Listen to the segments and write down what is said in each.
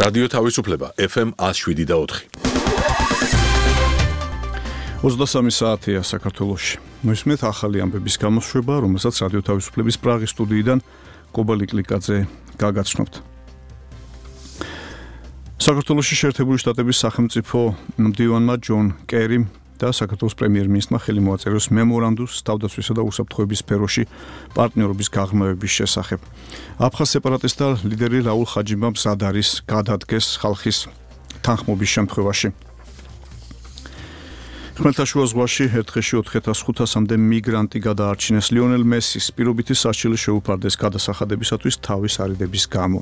რადიო თავისუფლება FM 107.4. 23 საათია საქართველოში. Მოისმენთ ახალი ამბების გამოსვლება, რომელსაც რადიო თავისუფლების პრაღის სტუდიიდან კობალი კლიკაძე გაგაცნობთ. საქართველოში შეერთებული შტატების სახელმწიფო მდივანმა ჯონ კერიმ და საქართველოს პრემიერ-მინისტრმა ხელი მოაწეროს მემორანდუმს თავდაცვისა და უსაფრთხოების სფეროში პარტნიორობის გაღრმავების შესახებ. აფხაზ სეპარატისტთა ლიდერი რაულ ხაჯიბა მზად არის გადადგეს ხალხის თანხმობის შემთხვევაში. ხმელთაშუა ზღვაში ერთ დღეში 4500-მდე მიგრანტი გადაარჩინეს ლიონელ მესის პირობითი სასჯელი შეუფარდეს გადასახადებისათვის თავის არიდების გამო.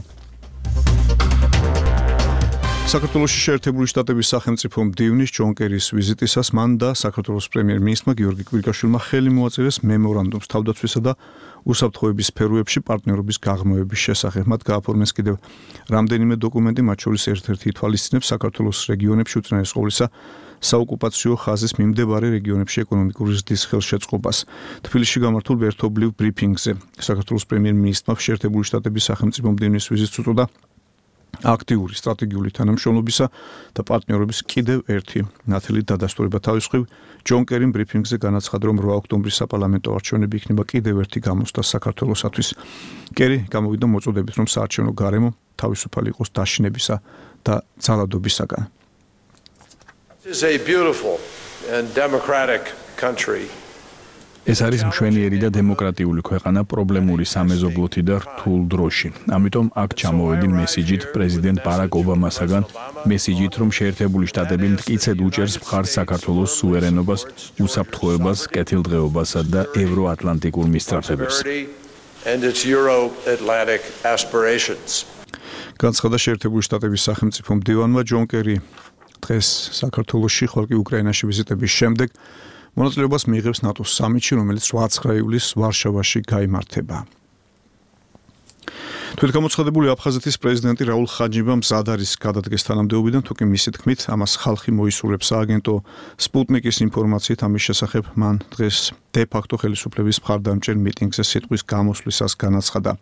საქართველოში შეერთებული შტატების სახელმწიფო მდივნის ჯონ კერის ვიზიტისას მან და საქართველოს პრემიერ-მინისტრმა გიორგი კვირიკაშვილმა ხელი მოაწერეს მემორანდუმს თავდაცვისა და უსაფრთხოების სფეროებში პარტნიორობის გაღრმავების შესახებ. მათ გააფორმეს კიდევ რამდენიმე დოკუმენტი, მათ შორის ერთ-ერთი ითვალისწინებს საქართველოს რეგიონებში უწინარეს ყოვლისა საოკუპაციო ხაზის მიმდებარე რეგიონებში ეკონომიკური ზრდის ხელშეწყობას. თბილისში გამართულ ერთობლივ ბრიფინგზე საქართველოს პრემიერ-მინისტრმა შეერთებული შტატების სახელმწიფო მდივნის ვიზიტს უწოდა აქტიური სტრატეგიული თანამშრომლობისა და პარტნიორობის კიდევ ერთი ნათელი დადასტურება. თავის მხრივ ჯონ კერიმ ბრიფინგზე განაცხადა, რომ 8 ოქტომბრის საპარლამენტო არჩევნები იქნება კიდევ ერთი გამოცდა საქართველოსათვის. კერი გამოვიდა მოწოდებით, რომ საარჩევნო გარემო თავისუფალი იყოს დაშინებისა და ძალადობისაგან. This is a beautiful and democratic country. ეს არის მშვენიერი და დემოკრატიული ქვეყანა პრობლემური სამეზობლოთი და რთულ დროში. ამიტომ აქ ჩამოვედი მესიჯით პრეზიდენტ ბარაკ ობამასაგან, მესიჯით, რომ შეერთებული შტატები მტკიცედ უჭერს მხარს საქართველოს სუვერენობას, უსაფრთხოებას, კეთილდღეობასა და ევროატლანტიკურ მისწრაფებებს. განცხადა შეერთებული შტატების სახელმწიფო მდივანმა ჯონ კერი დღეს საქართველოში, ხოლო კი უკრაინაში ვიზიტების შემდეგ მონაწილეობას მიიღებს ნატოს სამიტში, რომელიც 8 ივლისს ვარშავაში გაიმართება. თვითგამოცხადებული აფხაზეთის პრეზიდენტი რაულ ხაჯიბა მზად არის გადადგეს თანამდებობიდან, თუკი მისი თქმით, ამას ხალხი მოისურვებს. სააგენტო სპუტნიკის ინფორმაციით ამის შესახებ მან დღეს დე-ფაქტო ხელისუფლების მხარდამჭერ მიტინგზე სიტყვის გამოსვლისას განაცხადა.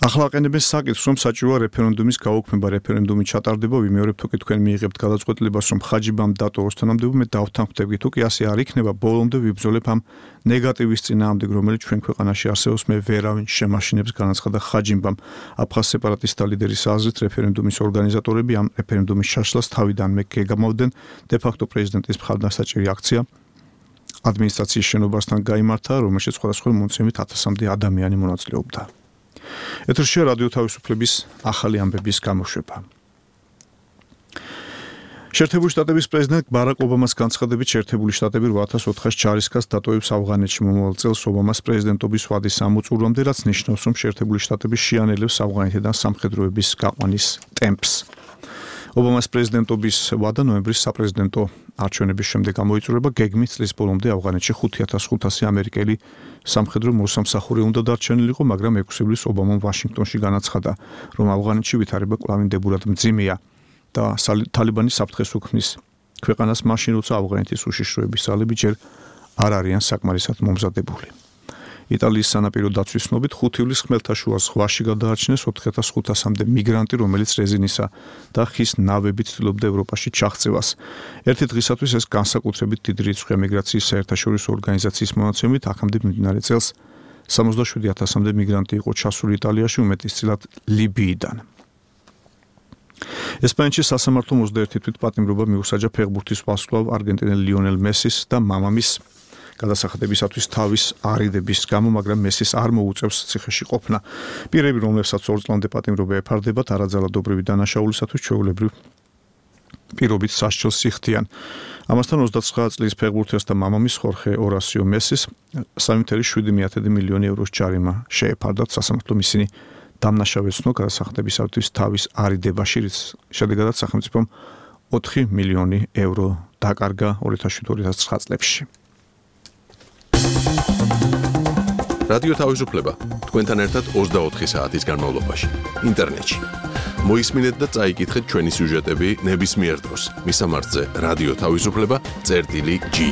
ახლა აყენებენ საკითხს, რომ საჭიროა რეფერენდუმის გაუქმება. რეფერენდუმი ჩატარდება, ვიმეორებ თუკი თქვენ მიიღებთ გადაწყვეტილებას, რომ ხაჯიბამ დატოვოს თანამდებობა, მე დავთანხმდები. თუკი ასე არ იქნება, ბოლომდე ვიბრძოლებ ამ ნეგატივის წინააღმდეგ, რომელიც ჩვენ ქვეყანაში არსებობს, მე ვერავინ შემაშინებს, განაცხადა ხაჯიბამ. აფხაზ სეპარატისტთა ლიდერის აზრით, რეფერენდუმის ორგანიზატორები ამ რეფერენდუმის ჩაშლას თავიდანვე გეგმავდნენ. დე-ფაქტო პრეზიდენტის მხარდასაჭერი აქცია ადმინისტრაციის შენობასთან გაიმართა, რომელშიც სხვადასხვა მონაცემით 1000-მდე ადამიანი მონაწილეობდა. ეთერშია რადიო თავისუფლების ახალი ამბების გამოშვება. შეერთებული შტატების პრეზიდენტ ბარაკ ობამას განცხადებით, შეერთებული შტატები 8400 ჯარისკაცს დატოვებს ავღანეთში. მომავალ წელს ობამას პრეზიდენტობის ვადის ამოწურვამდე, რაც ნიშნავს, რომ შეერთებული შტატები შეანელებს ავღანეთიდან სამხედროების გაყვანის ტემპს. ობამას პრეზიდენტობის ვადა ნოემბრის საპრეზიდენტო არჩევნების შემდეგ გამოიწურება. გეგმით წლის ბოლომდე ავღანეთში 5500 ამერიკელი სამხედრო მოსამსახური უნდა დარჩენილიყო, მაგრამ 6 ივლისს ობამამ ვაშინგტონში განაცხადა, რომ ავღანეთში ვითარება კვლავინდებურად მძიმეა და თალიბანი საფრთხეს უქმნის ქვეყანას მაშინ, როცა ავღანეთის უშიშროების ძალები ჯერ არ არიან საკმარისად მომზადებული. იტალიის სანაპირო დაცვის ცნობით 5 ივლისს ხმელთაშუა ზღვაში გადაარჩინეს 4500-მდე მიგრანტი, რომელიც რეზინისა და ხის ნავებით ცდილობდა ევროპაში ჩაღწევას. ერთი დღისათვის ეს განსაკუთრებით დიდი რიცხვია. მიგრაციის საერთაშორისო ორგანიზაციის მონაცემით, აქამდე მიმდინარე წელს 77000-მდე მიგრანტი იყო ჩასული იტალიაში, უმეტესწილად ლიბიიდან. ესპანეთში სასამართლომ 21 თვითპატიმრობა მიუსაჯა ფეხბურთის ვარსკვლავ არგენტინელ ლიონელ მესის და მამამის გადასახადებისათვის თავის არიდების გამო, მაგრამ მესის არ მოუწევს ციხეში ყოფნა. პირები, რომლებსაც 2 წლამდე პატიმრობა ეფარდებათ, არაძალადობრივი დანაშაულისათვის ჩვეულებრივ პირობით სასჯელს იხდიან. ამასთან 29 წლის ფეხბურთელს და მამამის ხორხე ორასიო მესის 3,7 მილიონი ევროს ჯარიმა შეეფარდათ. სასამართლომ ისინი დამნაშავეცნო გადასახადებისათვის თავის არიდებაში, რის შედეგადაც სახელმწიფომ 4 მილიონი euро დაკარგა 2007-2009 წლებში. რადიო თავისუფლება თქვენთან ერთად 24 საათის განმავლობაში ინტერნეტში. მოისმინეთ და წაიკითხეთ ჩვენი სიუჟეტები ნებისმიერ დროს. მისამართზე რადიო თავისუფლება.gi